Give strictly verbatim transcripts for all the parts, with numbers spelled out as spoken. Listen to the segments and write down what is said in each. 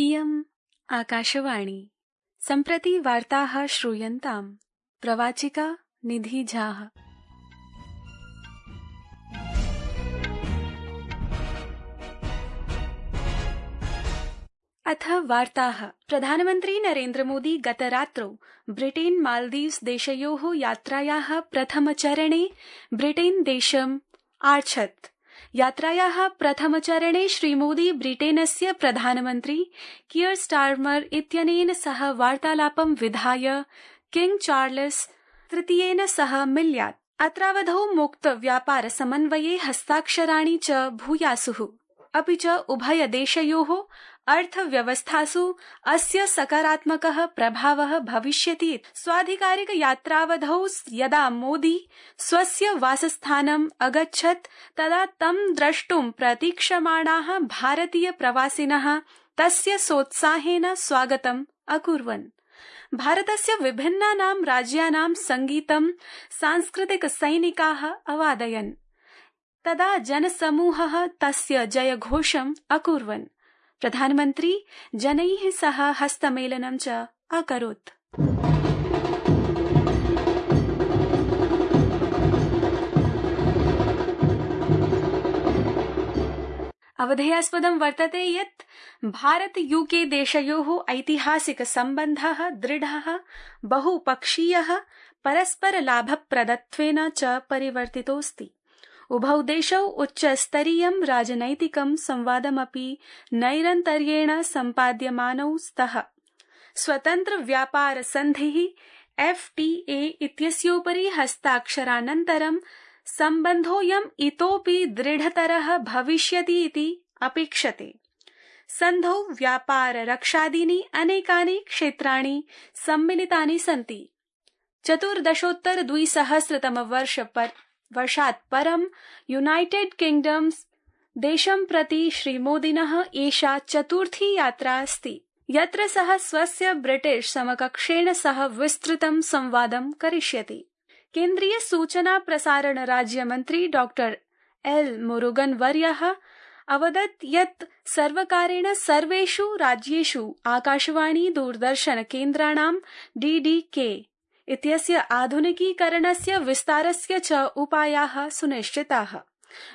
इयम् आकाशवाणी। सम्प्रति वार्ताः श्रूयन्ताम्। प्रवाचिका निधि झा। अथ वार्ताः। प्रधानमन्त्री नरेन्द्र मोदी गतरात्रौ ब्रिटेन मालदीव्स देशयोः यात्रायाः प्रथमचरणे ब्रिटेन देशम् आर्छत्। यात्रायाः प्रथमचरणे श्रीमोदी ब्रिटेनस्य प्रधानमन्त्री कियर स्टारमर इत्यनेन सह वार्तालापं विधाय किंग चार्ल्स तृतीयेन सह मिल्यात्। अत्रावधौ मुक्त व्यापार समन्वये हस्ताक्षराणि च भूयासुः। अपि च उभयदेशयोः अर्थव्यवस्थासु अस्य सकारात्मकः प्रभावः भविष्यति। स्वाधिकारिक यात्रावधौ यदा मोदी स्वस्य वासस्थानम् अगच्छत् तदा तं द्रष्टुं प्रतीक्षमाणाः भारतीय प्रवासिनः तस्य सोत्साहेन स्वागतम् अकुर्वन्। भारतस्य विभिन्नानां राज्यानां संगीतं सांस्कृतिक सैनिकाः अवादयन्। तदा जनसमूहः तस्य जयघोषम् अकुर्वन्। प्रधानमन्त्री जनैः सह हस्तमेलनं च अकरोत्। अवधेयास्पदं वर्तते यत् भारत यूके देशयोः ऐतिहासिक सम्बन्धः दृढः, बहुपक्षीयः, परस्परलाभप्रदत्वेन च परिवर्तितोऽस्ति। उभौ देशौ उच्चस्तरीयं राजनैतिकं संवादमपि नैरन्तर्येण सम्पाद्यमानौ स्तः। स्वतन्त्र व्यापार सन्धिः एफ् टी ए इत्यस्योपरि हस्ताक्षरानन्तरं सम्बन्धोऽयम् इतोपि दृढतरः भविष्यति इति अपेक्षते। सन्धौ व्यापार रक्षादीनि अनेकानि क्षेत्राणि सम्मिलितानि सन्ति। चतुर्दशोत्तर द्विसहस्रतमवर्ष पर वर्षात् परं यूनाइटेड किंगडम्स देशं प्रति श्रीमोदिनः एषा चतुर्थी यात्रा अस्ति, यत्र सः स्वस्य ब्रिटिश समकक्षेण सह विस्तृतं संवादं करिष्यति। केन्द्रीय सूचना प्रसारण राज्यमन्त्री डॉक्टर एल मुरुगन वर्यः अवदत् यत् सर्वकारेण सर्वेषु राज्येषु आकाशवाणी दूरदर्शन केन्द्राणां डी डी के इत्यस्य आधुनिकीकरणस्य विस्तारस्य च उपायाः सुनिश्चिताः।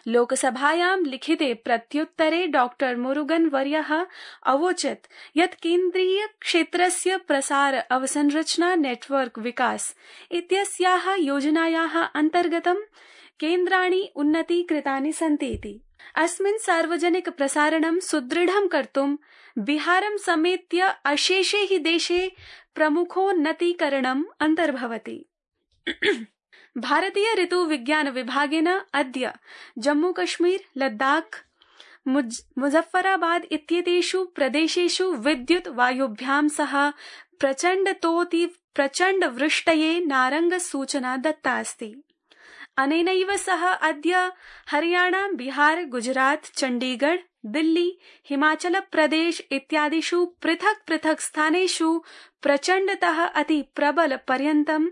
लोकसभायां लिखिते प्रत्युत्तरे डॉक्टर मुरुगन वर्यः अवोचत् यत् केन्द्रीय क्षेत्रस्य प्रसार अवसंरचना नेटवर्क विकास इत्यस्याः योजनायाः अन्तर्गतं केन्द्राणि उन्नतीकृतानि सन्ति इति। अस्मिन् सार्वजनिक प्रसारणं सुदृढं कर्तुं बिहारं समेत्य अशेषे हि देशे प्रमुखोन्नतीकरणम् अन्तर्भवति। भारतीय ऋतु विज्ञान विभागेन अद्य जम्मू कश्मीर, लद्दाख, मुजफ्फराबाद इत्येतेषु प्रदेशेषु विद्युत् वायुभ्यां सह प्रचण्डतोऽति प्रचण्ड वृष्टये नारङ्ग सूचना दत्ता अस्ति। अनेनैव सह अद्य हरियाणा, बिहार, गुजरात, चण्डीगढ़, दिल्ली, हिमाचल प्रदेश इत्यादिषु पृथक् पृथक् स्थानेषु प्रचण्डतः अति प्रबल पर्यन्तं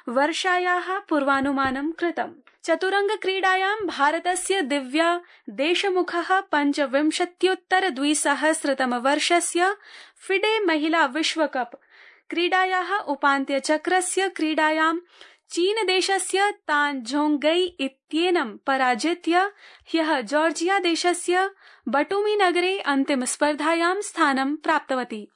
वर्षायाः पूर्वानुमानं कृतम्। चतुरंग क्रीडायां भारतस्य दिव्या देशमुखः पञ्चविंशत्युत्तर द्विसहस्रतम वर्षस्य फिडे महिला विश्वकप क्रीडायाः उपान्त्यचक्रस्य क्रीडायां चीनदेशस्य तान झोंगई इत्येनं पराजित्य ह्यः जॉर्जिया देशस्य बटुमी नगरे अन्तिमस्पर्धायां स्थानं प्राप्तवती।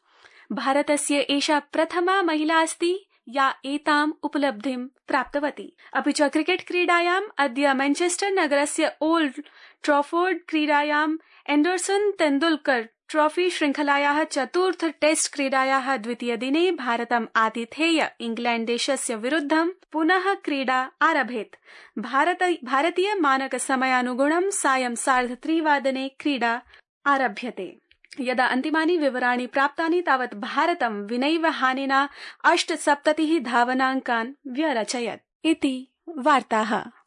भारतस्य एषा प्रथमा महिला अस्ति या एताम् उपलब्धिं प्राप्तवती। अपि च क्रिकेट क्रीडायाम् अद्य मैनचेस्टर नगरस्य ओल्ड ट्रॉफोर्ड क्रीडायां एंडरसन तेंदुलकर ट्रॉफी श्रृंखलायाः चतुर्थ टेस्ट क्रीडायाः द्वितीयदिने भारतम् आतिथेय इंग्लैंड देशस्य विरुद्धं पुनः क्रीडा आरभेत्। भारत भारतीय मानक समयानुगुणं सायं सार्धत्रिवादने क्रीडा आरभ्यते। यदा अन्तिमानि विवराणि प्राप्तानि तावत् भारतं विनैव हानिना अष्टसप्ततिः धावनाङ्कान् व्यरचयत् इति वार्ताः।